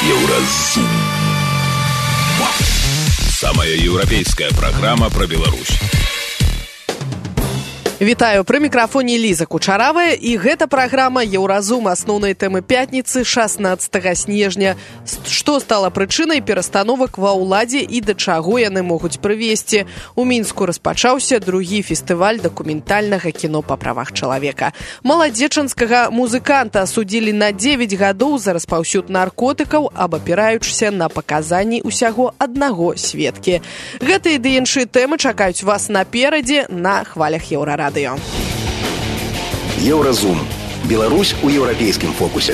Еўразум. Самая еўрапейская праграма пра Беларусь. Вітаю, пры мікрафоне Ліза Кучаравая, і гэта праграма «Еўразум», асноўныя тэмы пятніцы 16 снежня. Што стала прычынай перастановак ва ўладзе і да чаго яны могуць прывесці? У Мінску распачаўся другі фестываль дакументальнага кіно па правах чалавека. Маладзечанскага музыканта асудзілі на 9 гадоў за распаўсюд наркотыкаў, абапіраючыся на паказанні ўсяго аднаго сведкі. Гэтыя ды іншыя тэмы чакаюць вас наперадзе на хвалях Еўрарадыё. Еўразум. Беларусь у еўрапейскім фокусе.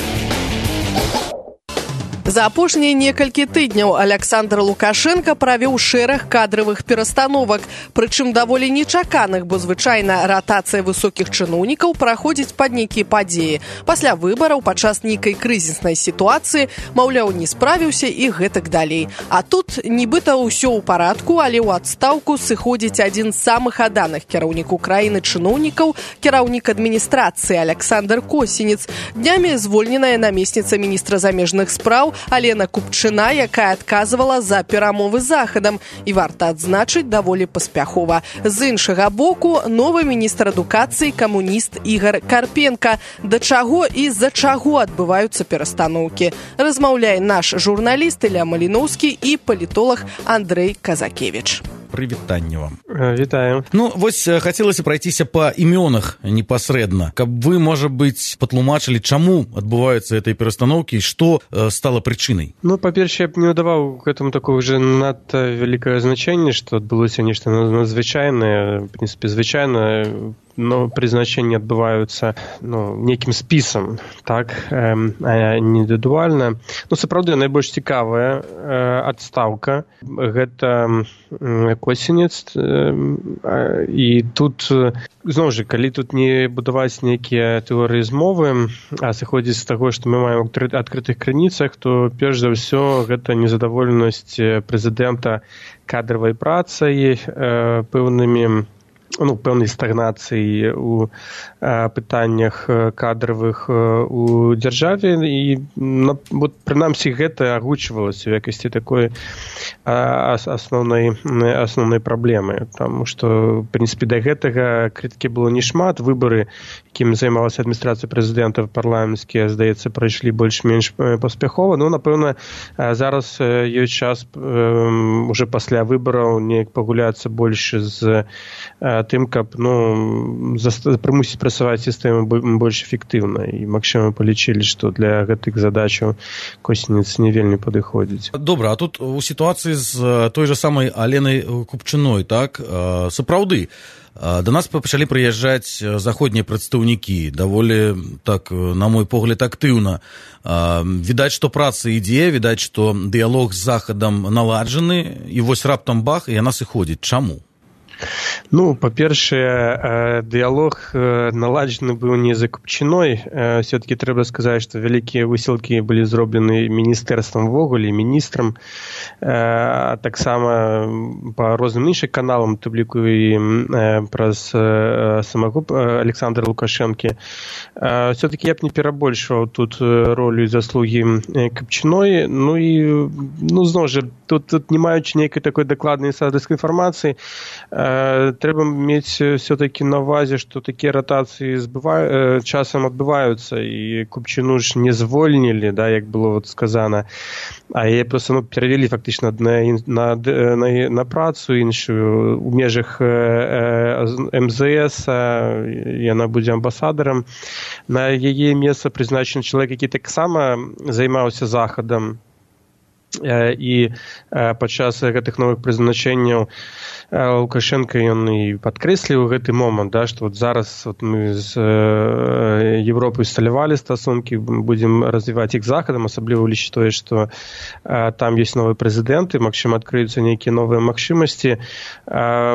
За апошнія некалькі тыдняў Александр Лукашенко правёў шэраг кадравых перастановак, прычым даволі нечаканых, бо звычайна ратацыя высокіх чыноўнікаў праходзіць пад нейкія падзеі. Пасля выбараў, падчас нейкай крызіснай сітуацыі, маўляў, не справіўся і гэтак далей. А тут нібыта ўсё ў парадку, але ў адстаўку сыходзіць адзін з самых аданых кіраўнікаў краіны чыноўнікаў, кіраўнік адміністрацыі Александр Косінец. Днямі звольненая намесніца міністра замежных спраў Алена Купчына, якая адказвала за перамовы з Захадам, і варта адзначыць даволі паспяхова. З іншага боку, новы міністр адукацыі камуніст Ігор Карпенка. Да чаго і з-за чаго адбываюцца перастаноўкі? Размаўляе наш журналіст Ілля Маліноўскі і палітолог Андрэй Казакевіч. Прывітанне вам. Вітаю. Ну, вось хацелася прайціся па імёнах непасрэдна, каб вы, можа быць, патлумачылі, чаму адбываюцца гэтыя перастаноўкі і што стала прычынай. Ну, па-першае, я б не ўдаваў к этому такого вже надта вялікае значэнне, што адбылося нешта надзвычайнае, в прынцыпе, звычайна, но прызначэнні адбываюцца нейкім спісам, так, а не індывідуальна. Ну, сапраўды, найбольш цікавая адстаўка гэта Косінец, і тут, зноў жа, калі тут не будаваць нейкія тэорыі змовы, а сыходзіць з таго, што мы маем у адкрытых крыніцах, то перш за ўсё гэта незадаволенасць прэзідэнта кадравай працай, пэўнай стагнацыі у пытаннях кадравых у дзяржаве, і прынамсі гэта агучвалася ў якасці такой асноўнай праблемы, таму што, в прынцыпе, да гэтага крытыкі было не шмат. Выбары, якімі займалася адміністрацыя прэзідэнта, парламенцкія, здаецца, прайшлі больш-менш паспяхова. Ну, напэўна, зараз ёсць час уже пасля выбараў неяк пагуляцца больш з тым, каб прымусіць працаваць сістэму больш эфектыўна. І, магчыма, палічылі, што для гэтых задачаў Косінец не вельмі падыходзіць. Добра, а тут у сітуацыі з той жа самай Аленай Купчыной, так, сапраўды, да нас пачалі прыязджаць заходнія прадстаўнікі, даволі, так, на мой погляд, актыўна. Відаць, што праца ідзе, відаць, што дыялог з Захадам наладжаны, і вось раптам бах, і яна сыходзіць. Чаму? Ну, па-першае, дыялог наладжаны быў не за Купчыной. Все-таки трэба сказаць, што вялікія высілкі былі зроблены міністэрствам ввогуле, міністрам. Таксама па розным іншым каналам, тым ліку і праз самого Александра Лукашэнкі. Все-таки я б не перабольшваў тут ролю і заслугі Купчыной. Ну і, зноў жа, тут не маючы нейкай такой дакладнай садыцкай інфармацыі, трэба мець все-таки на ўвазе, што такія ратацыі часам адбываюцца, і Купчыну ж не звольнілі, да, як было сказана, а яе проста перавялі фактычна на працу іншую у межах МЗС, яна будзе амбасадарам. На яе месца прызначаны чалавек, які таксама займаўся Захадам, і падчас гэтых новых прызначэнняў Лукашенко ён і падкрэсліў гэты момант, да, што зараз мы з Европай усталявалі стасункі, будзем развіваць іх Захадам, асабліва улічыць тое, што там ёсць новы прэзідэнт, і, магчыма, адкрыюцца нейкія новыя магчымасці.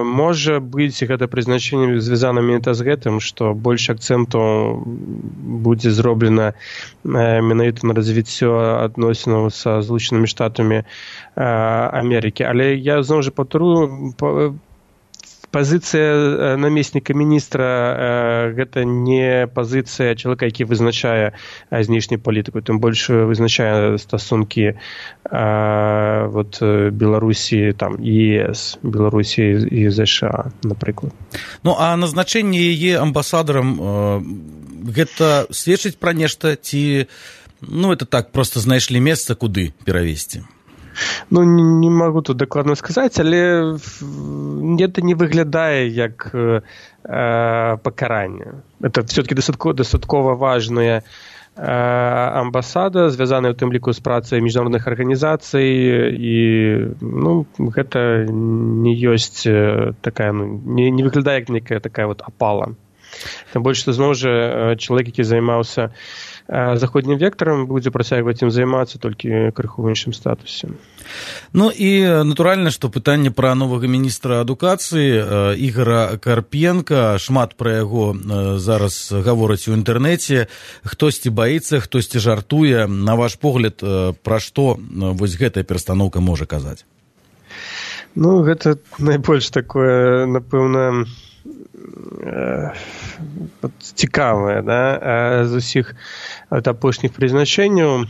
Можа быць, гэта прызначэнне звязана менавіта з гэтым, што больш акцэнту будзе зроблена менавіта на развіццё адносінаў са Злучанымі Штатамі Амерыкі. Але я зноў жа паўтару, пазіцыя намесніка міністра гэта не пазіцыя чалавека, які вызначае знешнюю палітыку, тым больш вызначае стасункі Беларусі там ЕС, Беларусі і ЗША, напрыклад. Ну а назначэнне яе амбасадарам гэта сведчыць пра нешта ці это так проста знайшлі месца, куды перавесці? Не могу тут дакладна сказаць, але гэта не выглядае як пакаранне. Это все-таки дастаткова важная амбасада, звязаная ў тым ліку з працай міжнародных арганізацый, і гэта не ёсць такая, не выглядае як некая такая апала. Тым больш, што зноў жа чалавек, які займаўся заходнім вектарам, будзе працягваць ім займацца толькі крыху ў іншым статусе. І натуральна, што пытанне пра новага міністра адукацыі Ігора Карпенка, шмат пра яго зараз гавораць у інтэрнэце, хтосьці баіцца, хтосьці жартуе. На ваш погляд, пра што вось гэтая перастаноўка можа казаць? Гэта найбольш такое, напэўна, цікавае, з усіх апошніх прызначэнняў.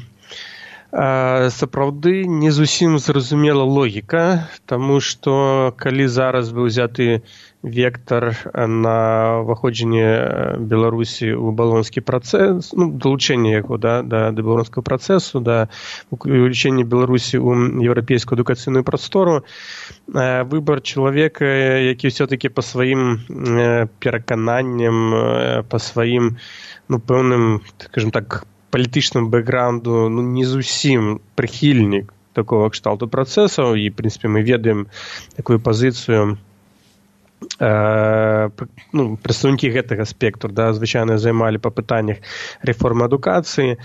Сапраўды не зусім зразумела логіка, таму што калі зараз быў узяты вектар на ўваходжанне Беларусі ў балонскі працэс, далучэнне яго да балонскага працэсу, да ўключэння Беларусі ў еўрапейскую адукацыйную прастору, выбар чалавека, які ўсё-такі па сваім перакананням, па сваім, пэўным, скажем так, палітычным бэкграунду, не зусім прыхільнік такого кшталту працэсаў, і, в прынцыпе, мы ведаем такую пазіцыю прадстаўнікі гэтага спектру, звычайна займалі па пытаннях рэформы адукацыі.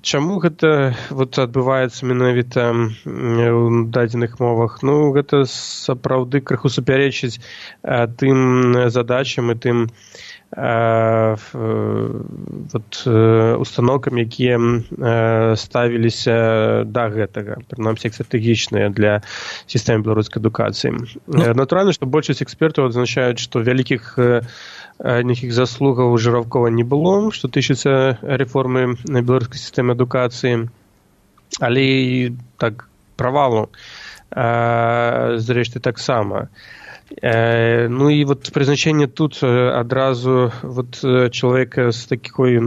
Чаму гэта адбываецца менавіта ў дадзеных мовах? Гэта сапраўды крыху супярэчыць тым задачам і тым установкам, якія ставіліся да гэтага, прынамсі стратэгічныя для сістэмы беларускай адукацыі. Натуральна, што большасць экспертаў адзначаюць, што вялікіх нейкіх заслугаў у Жыроўкова не было, што тычыцца рэформы беларускай сістэмы адукацыі, але і так правалу зрэшты таксама. І прызначэнне тут адразу чалавека з такой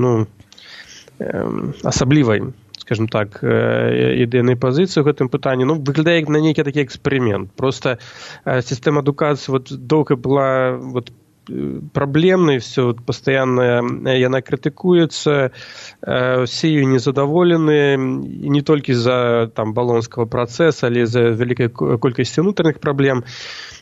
асаблівай, скажем так, ідэйнай пазіцыі ў гэтым пытанні, выглядае як на нейкі такі эксперымент. Проста сістэма адукацыі доўга была праблемнай, все пастаянна яна крытыкуецца, усе ёй незадаволеныя, і не толькі з-за балонскага працэса, але з-за вялікай колькасці ўнутраных праблем.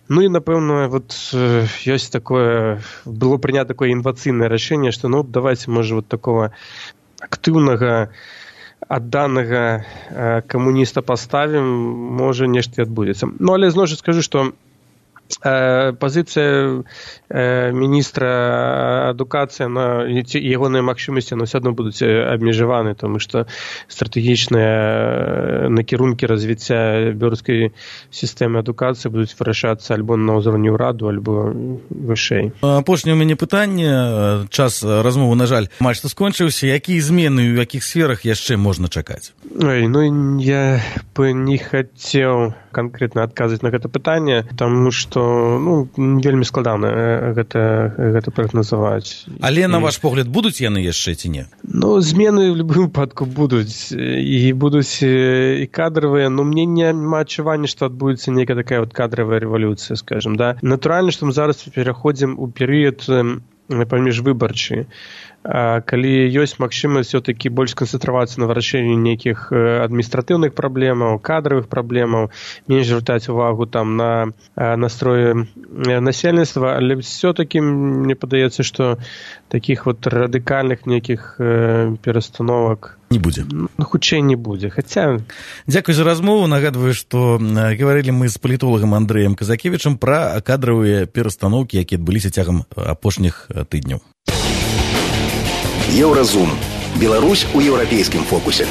І, напэўна, ёсць такое, было прынята такое інвацыйнае рашэнне, што, давайте, можа, такого актыўнага, адданага камуніста паставім, можа, нешта адбудзецца. Але, зноў жа скажу, што пазіцыя міністра адукацыі, ягоныя магчымасці ўсё адно будуць абмежаваны, тому што стратэгічныя накірункі развіцця беларускай сістэмы адукацыі будуць вырашацца альбо на ўзроўні ўраду, альбо вышэй. Апошняе ў мяне пытанне. Час размовы, на жаль, амаль што скончыўся. Якія змены ў якіх сферах яшчэ можна чакаць? Я бы не хацеў канкрэтна адказаць на гэта пытанне, таму што вельмі складана гэта прагназаваць. Але, на ваш погляд, будуць яны яшчэ ці не? Змены ў любым выпадку будуць. І будуць і кадравыя, но мне няма адчування, што адбудзецца нейкая такая кадравая рэвалюцыя, скажем, да. Натуральна, што мы зараз пераходзім у перыяд паміжвыбарчы, калі ёсць магчымасць все-таки больш сканцэнтравацца на вырашэнні нейкіх адміністратыўных праблемаў, кадравых праблемаў, менш звяртаць увагу на настроі насельніцтва, але все-таки мне падаецца, што такіх радыкальных нейкіх перастановак не будзе. Хутчэй не будзе. Хаця... Дзякуй за размову. Нагадваю, што гаварылі мы з палітолагам Андрэем Казакевічам пра кадравыя перастаноўкі, якія адбыліся цягам апошніх тыдняў. Еўразум. Беларусь у еўрапейскім фокусе.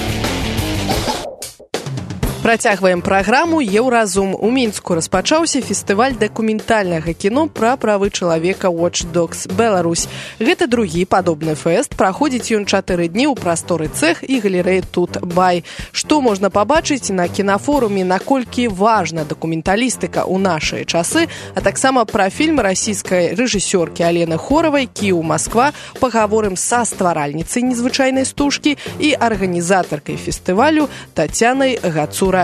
Працягваем праграму «Еўразум». У Мінску распачаўся фестываль дакументальнага кіно пра правы чалавека Watch Dogs Беларусь. Гэта другі падобны фэст. Праходзіць ён 4 дні ў прасторы цэх і галерэі Тут Бай. Што можна пабачыць на кінафоруме, наколькі важна дакументалістыка ў нашыя часы, а таксама пра фільм расійскай рэжысёркі Алены Хоравай «Кіеў, Москва». Пагаворым са стваральніцай незвычайнай стужкі і арганізатаркай фестывалю Тацянай Гацура-Яворскай.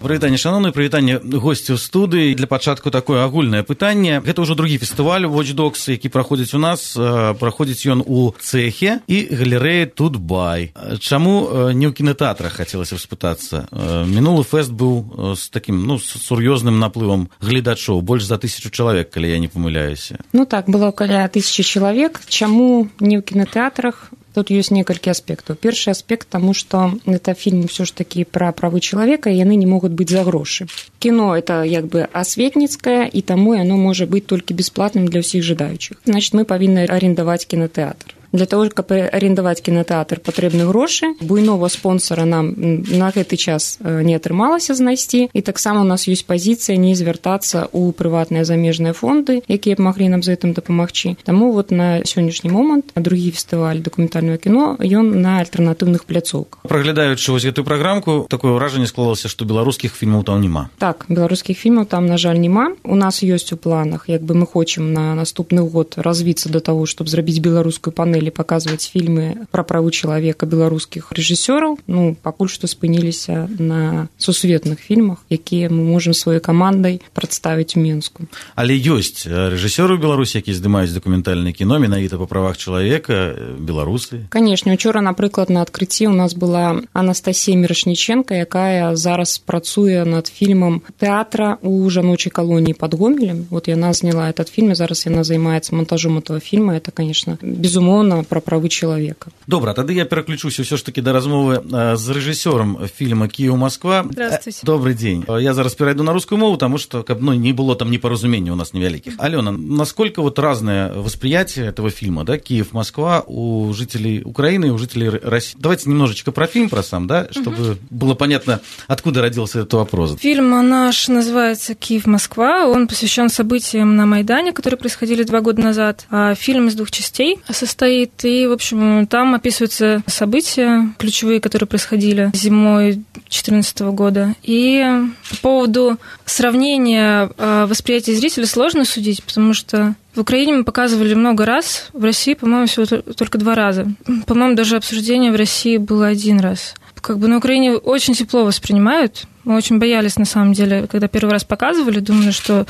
Прывітанне, шановны, прывітанне госцю студыі. Для пачатку такое агульнае пытанне. Гэта ўжо другі фестываль Watch Dogs, які праходзіць у нас. Праходзіць ён у цэхе і галерэі Тут Бай. Чаму не ў кінотэатрах, хацелася спытацца? Мінулы фэст быў з такім, сур'ёзным наплывам гледачоў, больш за 1000 чалавек, калі я не памыляюся. Так, было каля 1000 чалавек. Чаму не ў кінотэатрах? Тут есть некалькі аспектаў. Першы аспект, таму што гэта фільм ўсё ж такі пра правы чалавека, і яны не могуць быць за грошы. Кіно это асветніцкае, і таму яно можа быць толькі бясплатным для ўсіх жадаючых. Значит, мы павінны арендаваць кінотэатр. Для того, каб арендаваць кінотэатр, патрэбны грошы. Буйнога спонсора нам на гэты час не атрымалася знайсці, і таксама у нас ёсць пазіцыя не звяртацца ў прыватныя замежныя фонды, якія б маглі нам з гэтым дапамагчы. Таму на сённяшні момант другі фестываль дакументальнага кіно, ён на альтэрнатыўных пляцоўках. Праглядаючы вось гэтую праграмку, такое ўражанне склалася, што беларускіх фільмаў там няма. Так, беларускіх фільмаў там, на жаль, няма. У нас ёсць у планах, мы хочам на наступны год развіцца да таго, щоб зрабіць беларускую панель, паказваць фільмы пра правы чалавека беларускіх рэжысёраў. Пакуль што спыніліся на сусветных фільмах, якія мы можам сваёй камандай прадставіць у Мінску. Але ёсць рэжысёры ў Беларусі, якія здымаюць дакументальнае кіно менавіта па правах чалавека, беларусы. Канешне, учора, напрыклад, на адкрыцці у нас была Анастасія Мірошніченка, якая зараз працуе над фільмам тэатра ў жаночай калоніі пад Гомелем. Яна зняла этот фільм, і зараз яна займаецца монтажом этого фільма. Это, конечно, безумоўна пра правы чалавека. Добра, тады я пераключуся ўсё ж такі да размовы з рэжысёрам фільма «Кіеў, Москва». Здравствуйте. Добрый дзень. Я зараз перайду на рускую мову, таму што каб не было там непаразумений у нас невялікіх. Алёна, насколько разное восприятие этого фильма, да, «Киев, Москва» у жителей Украины и у жителей России? Давайте немножечко про фильм, про сам, да, чтобы было понятно, откуда родился этот вопрос. Фильм наш называется «Киев, Москва». Он посвящен событиям на Майдане, которые происходили 2 года назад. Фильм из 2 частей состоит. И, в общем, там описываются события ключевые, которые происходили зимой 2014 года. И по поводу сравнения восприятия зрителя сложно судить, потому что в Украине мы показывали много раз, в России, по-моему, всего только 2 раза. По-моему, даже обсуждение в России было 1 раз. На Украине очень тепло воспринимают. Мы очень боялись, на самом деле, когда первый раз показывали, думали, что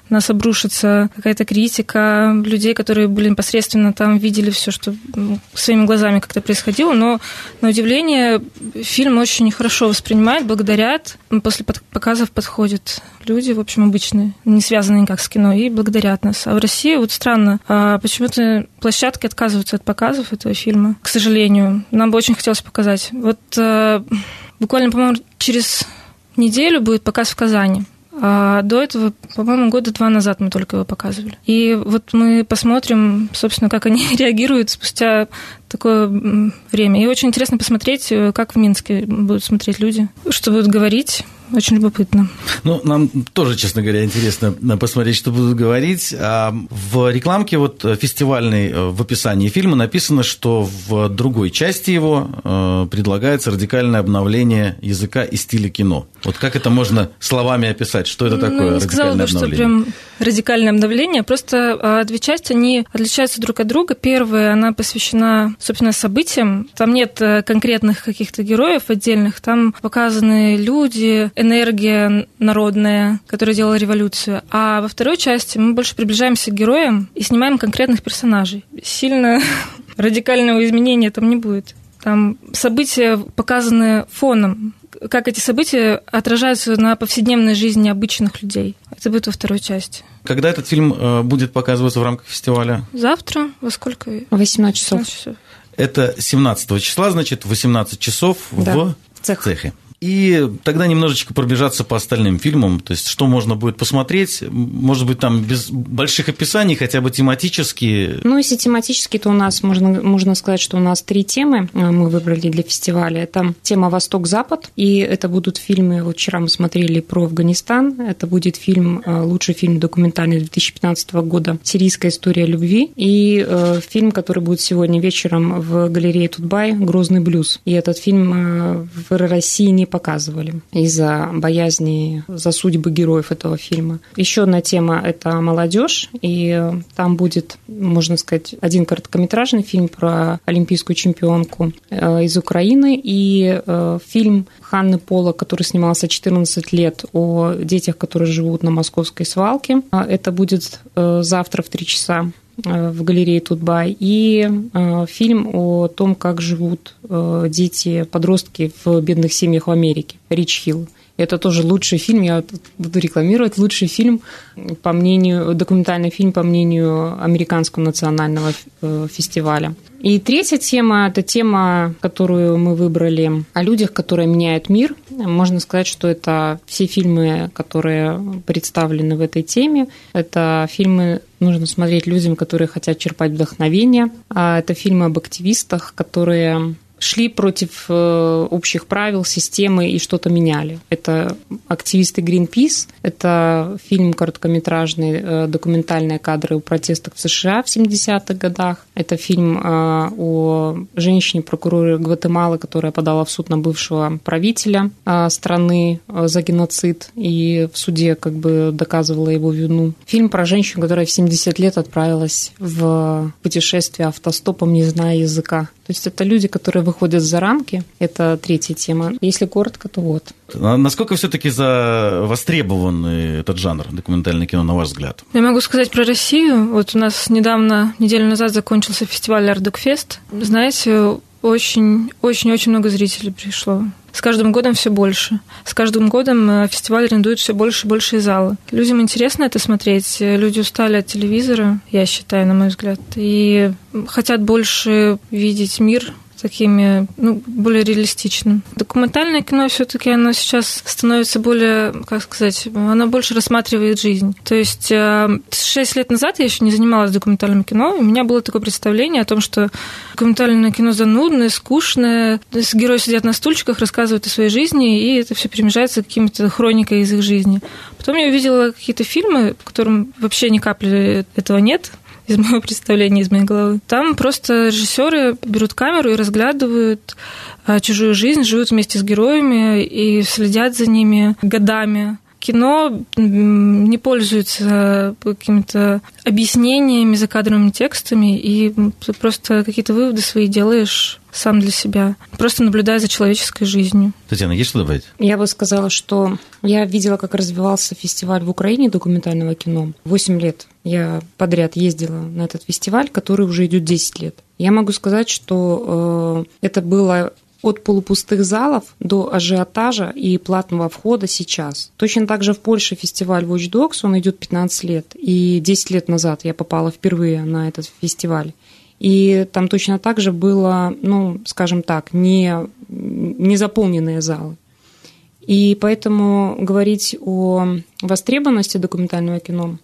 нас обрушится какая-то критика людей, которые были непосредственно там, видели все, что своими глазами как-то происходило. Но, на удивление, фильм очень хорошо воспринимают, благодарят. После показов подходят люди, в общем, обычные, не связанные никак с кино, и благодарят нас. А в России странно, почему-то площадки отказываются от показов этого фильма, к сожалению. Нам бы очень хотелось показать. Буквально, по-моему, через неделю будет показ в Казани. А до этого, по-моему, 2 года назад мы только его показывали. И мы посмотрим, собственно, как они реагируют спустя такое время. И очень интересно посмотреть, как в Минске будут смотреть люди, что будут говорить. Очень любопытно. Нам тоже, честно говоря, интересно посмотреть, что будут говорить. В рекламке фестивальной, в описании фильма написано, что в другой части его предлагается радикальное обновление языка и стиля кино. Как это можно словами описать? Что это такое радикальное обновление? Не сказала бы, что прям радикальное обновление. Просто 2 части, они отличаются друг от друга. Первая, она посвящена, собственно, событиям. Там нет конкретных каких-то героев отдельных. Там показаны люди, энергия народная, которая делала революцию. А во 2 части мы больше приближаемся к героям и снимаем конкретных персонажей. Сильно радикального изменения там не будет. Там события показаны фоном, как эти события отражаются на повседневной жизни обычных людей. Это будет во 2 части. Когда этот фильм будет показываться в рамках фестиваля? Завтра. Во сколько? 18 часов. Это 17 числа, значит, в 18 часов в цехе. И тогда немножечко пробежаться по остальным фильмам, то есть что можно будет посмотреть, может быть, там без больших описаний, хотя бы тематические. Ну, если тематически, то у нас, можно сказать, что у нас 3 темы мы выбрали для фестиваля. Это тема «Восток-Запад», и это будут фильмы, вот вчера мы смотрели про Афганистан, это будет фильм, лучший фильм документальный 2015 года «Сирийская история любви», и фильм, который будет сегодня вечером в галерее Тутбай «Грозный блюз». И этот фильм в России не показывали из-за боязни за судьбы героев этого фильма. Еще одна тема – это молодежь, и там будет, можно сказать, один короткометражный фильм про олимпийскую чемпионку из Украины и фильм Ханны Полок, который снимался 14 лет, о детях, которые живут на московской свалке. Это будет завтра в 3 часа в галерее Тутбай, и фильм о том, как живут дети, подростки в бедных семьях в Америке, «Рич Хилл». Это тоже лучший фильм, я буду рекламировать, лучший фильм, по мнению, документальный фильм, по мнению Американского национального фестиваля. И 3-я тема – это тема, которую мы выбрали о людях, которые меняют мир. Можно сказать, что это все фильмы, которые представлены в этой теме. Это фильмы нужно смотреть людям, которые хотят черпать вдохновение. Это фильмы об активистах, которые шли против общих правил, системы и что-то меняли. Это активисты Greenpeace, это фильм короткометражный, документальные кадры о протестах в США в 70-х годах, это фильм о женщине-прокуроре Гватемалы, которая подала в суд на бывшего правителя страны за геноцид и в суде как бы доказывала его вину. Фильм про женщину, которая в 70 лет отправилась в путешествие автостопом, не зная языка. То есть это люди, которые выходят за рамки. Это 3-я тема. Если коротко, то вот. Насколько все-таки востребован этот жанр документальное кино, на ваш взгляд? Я могу сказать про Россию. Вот у нас недавно, неделю назад, закончился фестиваль «Артдокфест». Знаете, очень-очень много зрителей пришло. С каждым годом все больше. С каждым годом фестиваль арендует все больше и больше залы. Людям интересно это смотреть. Люди устали от телевизора, я считаю, на мой взгляд, и хотят больше видеть мир такими, более реалистичным. Документальное кино все-таки оно сейчас становится более, как сказать, оно больше рассматривает жизнь. То есть 6 лет назад я еще не занималась документальным кино, и у меня было такое представление о том, что документальное кино занудное, скучное, герои сидят на стульчиках, рассказывают о своей жизни, и это все перемежается какими-то хроникой из их жизни. Потом я увидела какие-то фильмы, в котором вообще ни капли этого нет, из моего представления, из моей головы. Там просто режиссеры берут камеру и разглядывают чужую жизнь, живут вместе с героями и следят за ними годами. Кино не пользуется какими-то объяснениями, закадровыми текстами, и ты просто какие-то выводы свои делаешь сам для себя, просто наблюдая за человеческой жизнью. Татьяна, есть что добавить? Я бы сказала, что я видела, как развивался фестиваль в Украине документального кино. 8 лет я подряд ездила на этот фестиваль, который уже идет 10 лет. Я могу сказать, что это было от полупустых залов до ажиотажа и платного входа сейчас. Точно так же в Польше фестиваль Watch Dogs, он идет 15 лет, и 10 лет назад я попала впервые на этот фестиваль. И там точно так же было, скажем так, не заполненные залы. И поэтому говорить о востребованности документального кино,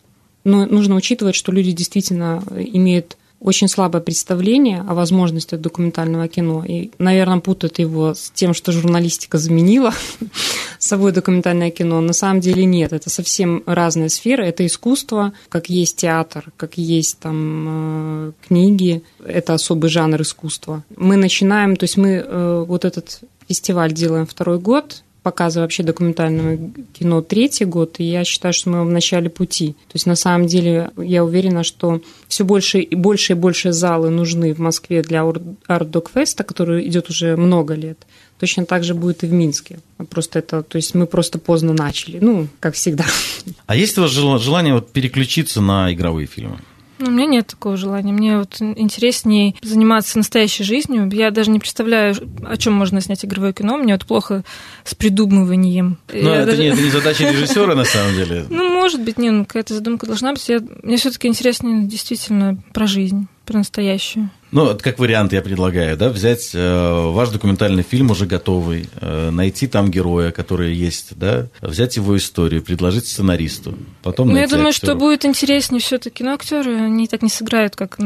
нужно учитывать, что люди действительно имеют очень слабое представление о возможностях документального кино и, наверное, путают его с тем, что журналистика заменила собой документальное кино. На самом деле нет, это совсем разная сфера. Это искусство, как есть театр, как есть там книги. Это особый жанр искусства. Мы начинаем, то есть мы вот этот фестиваль делаем 2-й год, показываю вообще документальное кино 3-й год, и я считаю, что мы в начале пути. То есть, на самом деле, я уверена, что все больше и больше залы нужны в Москве для Артдокфеста, который идет уже много лет. Точно так же будет и в Минске. То есть мы просто поздно начали, как всегда. А есть у вас желание переключиться на игровые фильмы? У меня нет такого желания. Мне интереснее заниматься настоящей жизнью. Я даже не представляю, о чем можно снять игровое кино. Мне плохо с придумыванием. Это не задача режиссера, на самом деле. Может быть, какая-то задумка должна быть. Мне все-таки интереснее действительно про жизнь, про настоящую. Ну, как вариант я предлагаю, да, взять ваш документальный фильм уже готовый, найти там героя, который есть, да, взять его историю, предложить сценаристу, потом найти я думаю, актеров. Что будет интереснее все-таки, но актеры, они так не сыграют, как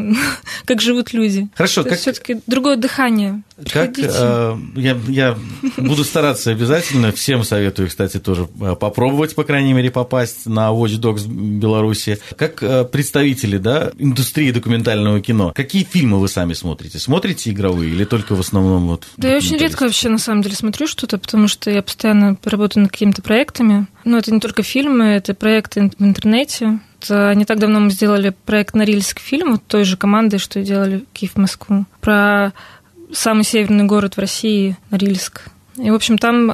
живут люди. Хорошо, как... все-таки другое дыхание. Как я буду стараться обязательно, всем советую, кстати, тоже попробовать, по крайней мере, попасть на Watch Dogs Беларуси. Как представители, да, индустрии документального кино, какие фильмы вы сами смотрите? Смотрите игровые или только в основном вот? Да, я очень редко вообще на самом деле смотрю что-то, потому что я постоянно работаю над какими-то проектами. Но это не только фильмы, это проекты в интернете. Не так давно мы сделали проект «Норильск фильм», вот той же командой, что и делали Киев-Москву, про самый северный город в России, Норильск. И, в общем, там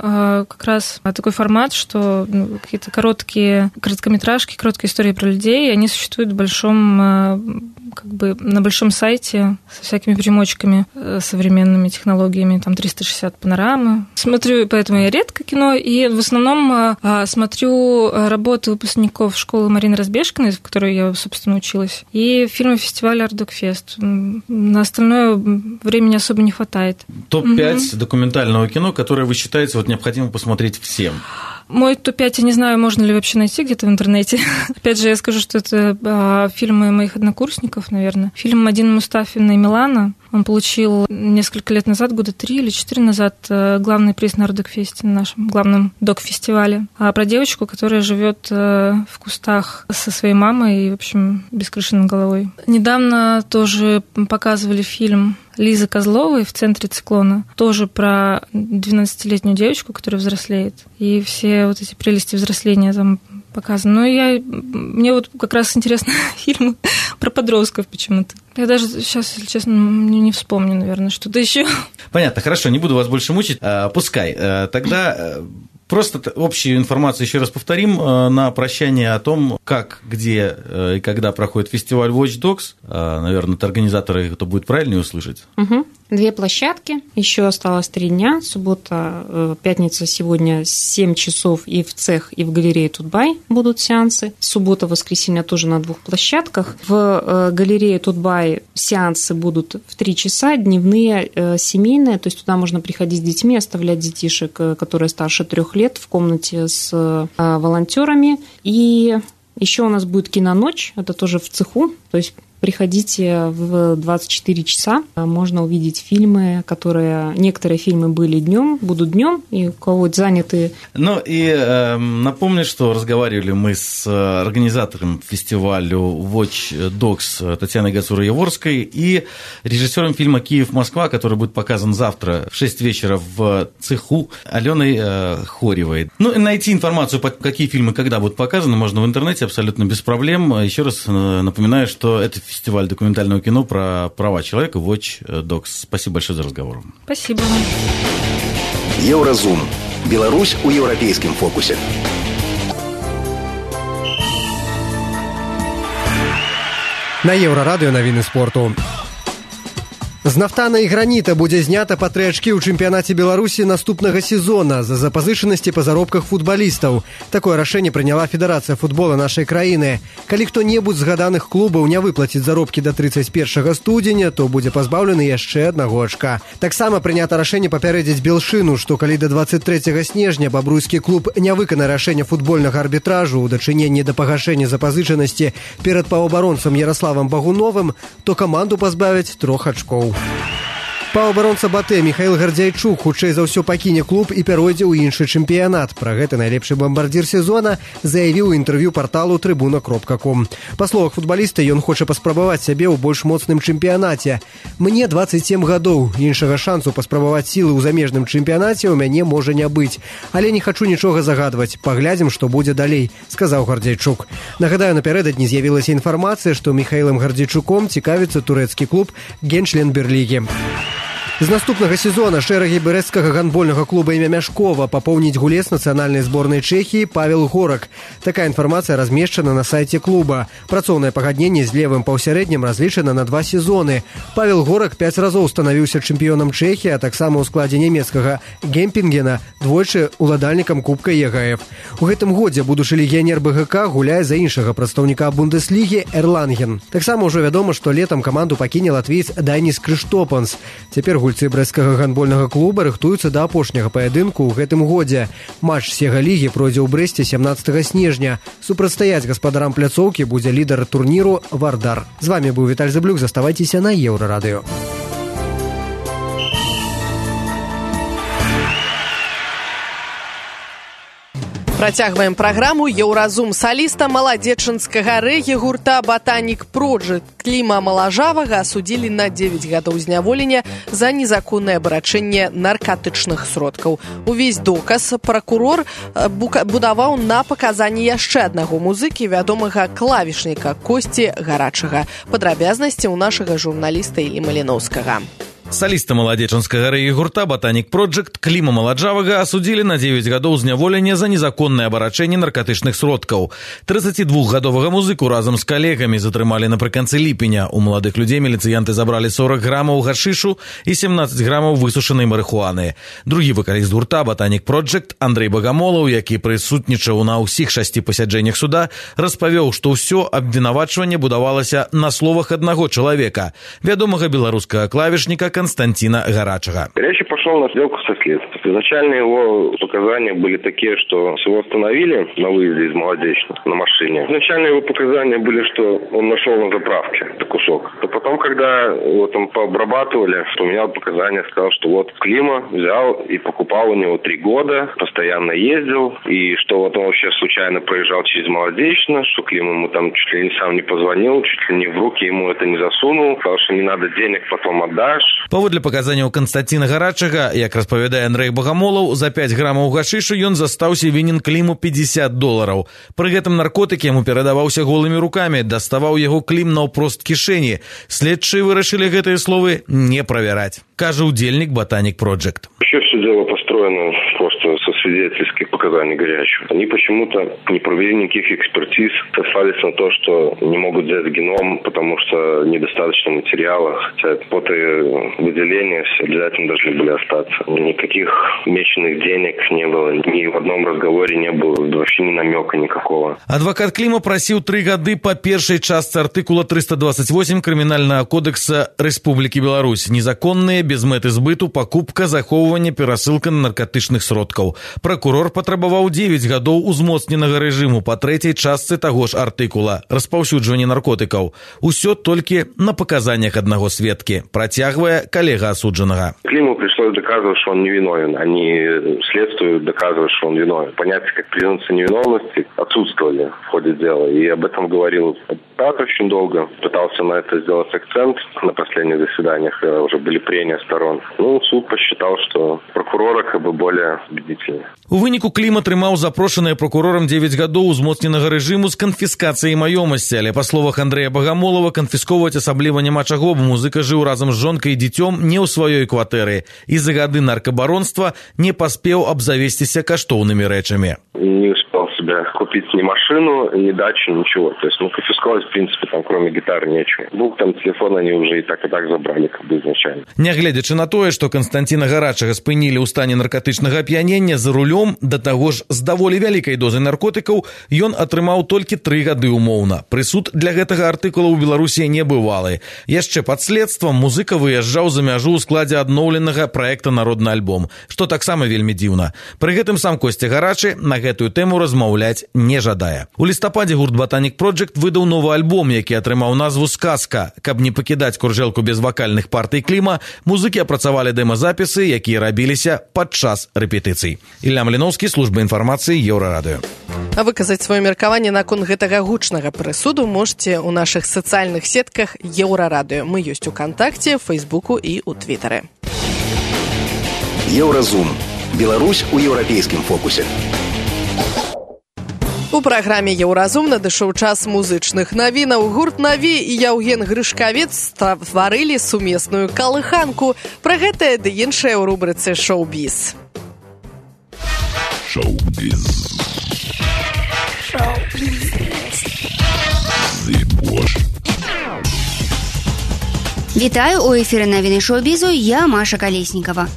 как раз такой формат, что какие-то короткометражки, короткие истории про людей, они существуют в большом, на большом сайте со всякими примочками, современными технологиями, там 360 панорамы. Смотрю, поэтому я редко кино, и в основном смотрю работы выпускников школы Марины Разбежкиной, в которой я, собственно, училась, и фильмы фестиваля «Ардокфест». На остальное времени особо не хватает. Топ-5 документального кино, которое вы считаете вот необходимо посмотреть всем? Мой топ-5, я не знаю, можно ли вообще найти где-то в интернете. Опять же, я скажу, что это фильмы моих однокурсников, наверное. Фильм Мадины Мустафиной «Милана». Он получил несколько лет назад, года 3 или 4 назад, главный приз на Ардокфесте, на нашем главном док-фестивале. Про девочку, которая живет в кустах со своей мамой и, в общем, без крыши над головой. Недавно тоже показывали фильм Лизы Козловой «В центре циклона». Тоже про 12-летнюю девочку, которая взрослеет. И все вот эти прелести взросления там показаны. Но мне вот как раз интересны фильмы про подростков почему-то. Я даже сейчас, если честно, не вспомню, наверное, что-то еще. Понятно, хорошо, не буду вас больше мучить. Пускай. Тогда просто общую информацию еще раз повторим на прощание о том, как, где и когда проходит фестиваль Watch Dogs. Наверное, от организатора это будет правильнее услышать. 2 площадки, еще осталось 3 дня. Суббота, пятница сегодня 7 часов и в цех, и в галерее Тутбай будут сеансы. Суббота, воскресенье тоже на 2 площадках. В галерее Тутбай сеансы будут в 3 часа, дневные, семейные, то есть туда можно приходить с детьми, оставлять детишек, которые старше 3 лет, в комнате с волонтерами. И еще у нас будет киноночь, это тоже в цеху, то есть приходите в 24 часа, можно увидеть фильмы, некоторые фильмы были днем, будут днем, и у кого заняты. Ну и напомню, что разговаривали мы с организатором фестиваля Watch Dogs Татьяной Гацура-Яворской и режиссером фильма «Киев-Москва», который будет показан завтра в 6 вечера в цеху, Аленой Хоревой. Ну и найти информацию, какие фильмы когда будут показаны, можно в интернете абсолютно без проблем. Еще раз напоминаю, что это фестиваль документального кино про права человека Watch Dogs. Спасибо большое за разговор. Спасибо. Еўразум. Беларусь у еўрапейскім фокусе. На Еўрарадыё навіны спорту. З нафтана і граніта будзе знята па 3 ачкі ў чэмпіянаце Беларусі наступнага сезона за запазычанасці па заробках футбалістаў. Такое рашэнне прыняла Федэрацыя футбола нашай краіны. Калі хто-небудзь з згаданых клубаў не выплаціць заробкі да 31 студзеня, то будзе пазбаўлены яшчэ 1 ачка. Таксама прынята рашэнне папярэдзіць Белшыну, што калі да 23 снежня бабруйскі клуб не выканае рашэнне футбольнага арбітражу ў дачыненні да пагашэння запазычанасці перад паўабаронцам Ярославам Багуновым, то каманду пазбавяць 3 ачкоў. Паўабаронца БАТЭ Михаил Гардзяйчук хутчэй за ўсё пакіне клуб і пяройдзе ў іншы чэмпіянат. Пра гэта найлепшы бамбардзір сезона заявіў у інтэрв'ю парталу Tribuna.com. Па словах футбаліста, ён хоча паспрабаваць сябе ў больш моцным чэмпіянаце. Мне 27 гадоў, іншага шансу паспрабаваць сілы ў замежным чэмпіянаце ў мяне можа не быць. Але не хачу нічога загадваць. Паглядзім, што будзе далей, сказаў Гардзяйчук. Нагадаю, напярэдадні з'явілася інфармацыя, што Михаилом Гардзяйчуком цікавіцца турэцкі клуб Генчлен Берлігі. З наступнага сезона шэрагі брэсцкага гандбольнага клуба імя Мяшкова папоўніць гулец нацыянальнай зборнай Чэхіі Павел Горак. Такая інфармацыя размешчана на сайце клуба. Працоўнае пагадненне з левым паўсярэднім разлічана на 2 сезоны. Павел Горак 5 разоў станавіўся чэмпіёнам Чэхіі, а таксама ў складзе нямецкага Гемпінгена, двойчы уладальнікам Кубка ЕГФ. У гэтым годзе будучы легіянер БГК гуляе за іншага прадстаўніка Бундеслігі Эрланген. Таксама ўжо вядома, што летам каманду пакіне латвіец Даніс Крыштопанс. Цяпер гульцы брэсцкага гандбольнага клуба рыхтуюцца да апошняга паядынку ў гэтым годзе. Матч Сега-лігі пройдзе ў Брэсце 17 снежня. Супрацьстаяць гаспадарам пляцоўкі будзе лідар турніру Вардар. З вами быў Віталь Зыблюк. Заставайцеся на Еўрарадыё. Працягваем праграму. Еўразум саліста маладзечанскага рэгі гурта «Ботаник Проджект» Кліма Малажавага асудзілі на 9 гадоў зняволення за незаконнае абарачэнне наркотычных сродкаў. Увесь доказ пракурор будаваў на паказанні яшчэ аднаго музыкі, вядомага клавішніка Косці Гарачага. Падрабязнасці ў нашага журналіста Іллі Маліноўскага. Саліста маладзечанскага рэгі гурта «Ботаник Проджект» Кліма Маладжавага асудзілі на 9 гадоў зняволення за незаконнае абарачэнне наркотычных сродкаў. 32гадовага музыку разам з калегамі затрымалі напрыканцы ліпеня. У маладых людзей міліцыянты забралі 40 грамаў гашышу і 17 грамаў высушанай марыхуаны. Другі вакаліст гурта «Ботаник Проджект» Андрэй Багамолаў, які прысутнічаў на ўсіх 6 пасяджэннях суда, распавёў, што ўсё абвінавачванне будавалася на словах аднаго чалавека, вядомага беларускага клавішніка Константина Гарачага. Горячий пошел на сделку со следствием. Изначально его показания были такие, что его остановили на выезде из Молодечно на машине. Изначально его показания были, что он нашел на заправке кусок. А потом, когда его там пообрабатывали, поменял показания, сказал, что вот Клима взял и покупал у него 3 года, постоянно ездил, и что вот он вообще случайно проезжал через Молодечно, что Клима ему там чуть ли не сам не позвонил, чуть ли не в руки ему это не засунул, сказал, что не надо денег, потом отдашь. Паводле паказанняў Константина Гарачага, як распавядае Андрэй Багамолаў, за 5 грамаў гашышу ён застаўся вінен Кліму $50. Пры гэтым наркотык яму перадаваўся голымі рукамі, даставаў яго Клім наўпрост кішэні. Следчыя вырашылі гэтыя словы не правяраць, кажа удзельнік «Ботаник Проджект». Вообще все дело построено просто со свидетельских показаний Горячего. Они почему-то не провели никаких экспертиз, сослались на то, что не могут взять геном, потому что недостаточно материала, хотя выделения все обязательно должны были остаться. Никаких меченых денег не было, ни в одном разговоре не было, вообще ни намека никакого. Адвокат Кліма прасіў 3 гады па першай частцы артыкула 328 Крымінальнага кодекса Рэспублікі Беларусь. Незаконныя, без мэты збыту, пакупка, захоўванне, перасылка на наркотычных сродкаў. Пракурор патрабаваў 9 гадоў узмоцненага рэжыму па 3-й частцы таго ж артыкула распаўсюджванне наркотыкаў. Усё толькі на паказаннях аднаго сведкі, працягвае калега асуджанага. Климу пришлось доказывать, что он невиновен, а не следствию доказывать, что он виновен. Понятия как презумпция невиновности отсутствовали в ходе дела, и об этом говорил адвокат очень долго. Пытался на это сделать акцент на последних заседаниях, когда уже были прения сторон. Суд посчитал, что прокурора как бы более убедительнее. У выніку Клім атрымаў запрошаныя прокурорам 9 гадоў узмоцненага рэжыму з канфіскацыяй маёмасці, але па словах Андрэя Багамолава канфісковаць асабліва няма чаго, бо музыка жыў разам з жонкай і дзіцём не ў сваёй кватэры і за гады наркабаронства не паспеў абзавесціся каштоўнымі рэчамі. Не успел себе купить ни машину, ни дачу, ничего. То есть, конфисковать, в принципе, там кроме гитары нечего. Там телефон они уже и так забрали, как бы изначально. Нягледзячы на тое, што Константина Гарачага спынілі ў стане наркотычнага ап'янення за рулём, да таго ж з даволі вялікай дозай наркотыкаў, ён атрымаў толькі 3 гады умоўна. Прысуд для гэтага артыкула ў Беларусі не бывалы. Яшчэ пад следствам музыка выязджаў за мяжу ў складзе адноўленага праекта «Народны альбом», што таксама вельмі дзіўна. Пры гэтым сам Косця Гарачы на гэтую тэму размаўляць не жадае. У лістападзе гурт «Ботаник Проджект» выдаў новы альбом, які атрымаў назву «Сказка». Каб не пакідаць куржэлку без вакальных партый Кліма, музыкі апрацавалі дэмазапісы, якія рабіліся падчас рэпетыцый. Ілля Маліноўскі, служба інфармацыі, Еўрарадыё. А выказаць сваё меркаванне наконт гэтага гучнага прысуду можете ў нашых сацыяльных сетках Еўрарадыё. Мы ёсць у Кантакце, Фейсбуку і ў Твітары. Еўразум. Беларусь у еўрапейскім фокусе. У праграме «Еўразум» надышоў час музычных навінаў. Гурт «Наві» і Яўген Грышкавец стварылі сумесную калыханку. Пра гэтае ды іншае ў рубрыцы «Шоу-біз». Шоу-біз. Вітаю, у эфіры навіны шоу-бізу, я Маша Калеснікава.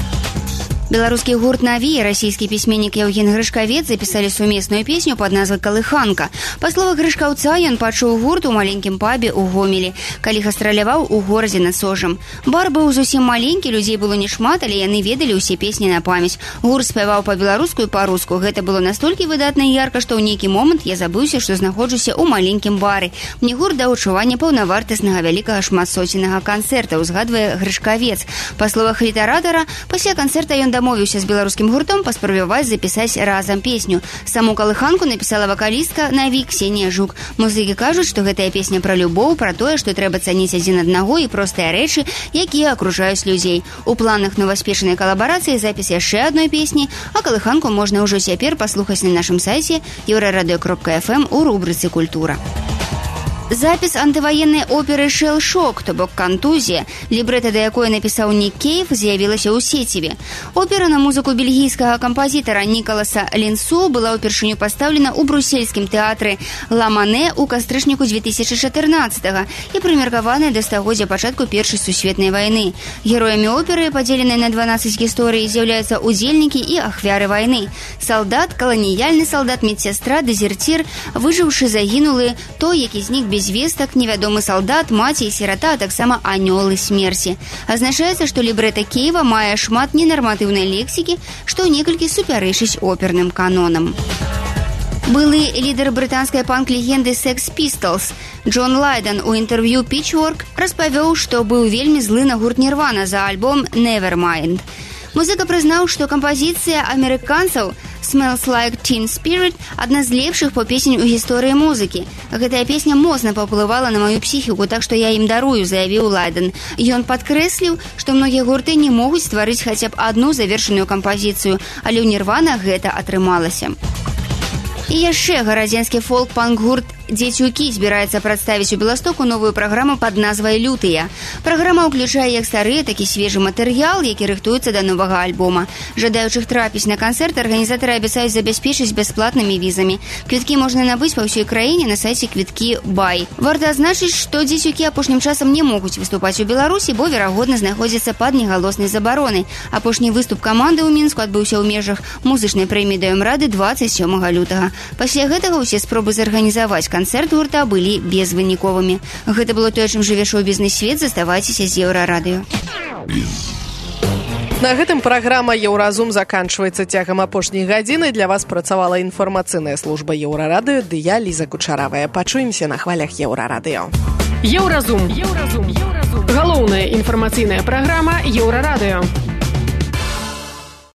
Беларускі гурт «Наві» и российский письменник Яўген Грышкавец записали сумесную песню под назвай «Калыханка». По словах Грышкаўца, ён пачуў гурт у маленькім пабе ў Гомелі, калі гастраляваў у горадзе над Сожам. Бар быў зусім маленькі, людзей было не шмат, але яны ведалі ўсе песні на памяць. Гурт спяваў па-беларуску і па-руску. Гэта было настолькі выдатна і ярка, што ў нейкі момант я забыўся, што знаходжуся ў маленькім бары. Мне гурт даў адчуванне паўнавартаснага вялікага шматсоценнага канцэрта, узгадвае Грышкавец. Па словах літаратара, пасля канцэрта ён дамовіўся з беларускім гуртом паспрабаваць запісаць разам песню. Саму калыханку напісала вакалістка «Наві» Ксенія Жук. Музыкі кажуць, што гэтая песня пра любоў, пра тое, што трэба цаніць адзін аднаго і простыя рэчы, якія акружаюць людзей. У планах новаспешанай калабарацыі запіс яшчэ адной песні, а калыханку можна ўжо цяпер паслухаць на нашым сайце euraradio.fm у рубрыцы «Культура». Запіс антываеннай оперы «Шэлл-шок», то бок «Кантузія», лібрэта да якой напісаў Нік Кейв, з'явілася ў сеціве. Опера на музыку бельгійскага кампазітара Нікаласа Лінсу была ўпершыню пастаўлена ў брусельскім тэатры «Ла Мане» ў кастрычніку 2014-го і прымеркаваная да стагоддзя пачатку Першай сусветнай вайны. Героямі оперы, падзеленай на 12 гісторый, з'яўляюцца удзельнікі і ахвяры вайны. Салдат, каланіяльны салдат, медсястра, дэзерцір, выжыўшы загінулы, той, які знік без вестак, невядомы салдат, маці і сірата, а таксама анёлы смерці. Азначаецца, што лібрэта Кейва мае шмат ненарматыўнай лексікі, што некалькі супярэчыць оперным канонам. Былы лідар брытанскай панк-легенды Sex Pistols Джон Лайден у інтэрв'ю Pitchfork распавёў, што быў вельмі злы на гурт Нірвана за альбом Nevermind. Музыка прызнаў, што кампазіцыя амерыканцаў «Smells Like Teen Spirit» адна з лепшых па песень у гісторыі музыкі. Гэтая песня моцна паўплывала на маю псіхіку, так што я ім дарую, заявіў Лайден. Ён падкрэсліў, што многія гурты не могуць стварыць хаця б адну завершаную кампазіцыю, але ў Нірвана гэта атрымалася. І яшчэ гарадзенскі фолк-панк-гурт «Дзецюкі» збіраецца прадставіць у Беластоку новую праграму пад назвай «Лютыя». Праграма ўключае як стары, так і свежы матэрыял, які рыхтуецца да новага альбома. Жадаючых трапіць на канцэрт арганізатары абяцаюць забяспечыць бясплатнымі візамі. Квіткі можна набыць па ўсёй краіне на сайце квіткі Бай. Варта адзначыць, што «Дзецюкі» апошнім часам не могуць выступаць у Беларусі, бо, верагодна, знаходзяцца пад негалоснай забаронай. Апошні выступ каманды ў Мінску адбыўся ў межах музычнай прэміі ДМ-рады 27 лютага. Пасля гэтага ўсе спробы зарганізаваць канцэрт гурта былі безвыніковымі. Гэта было тое, чым жыве шоу-бізнес-свет. Заставайцеся з Еўрарадыё. На гэтым праграма «Еўразум» заканчваецца. Цягам апошняй гадзіны для вас працавала інфармацыйная служба Еўрарадыё, ды я, Ліза Кучаравая. Пачуемся на хвалях Еўрарадыё. Еўразум. Галоўная інфармацыйная праграма Еўрарадыё.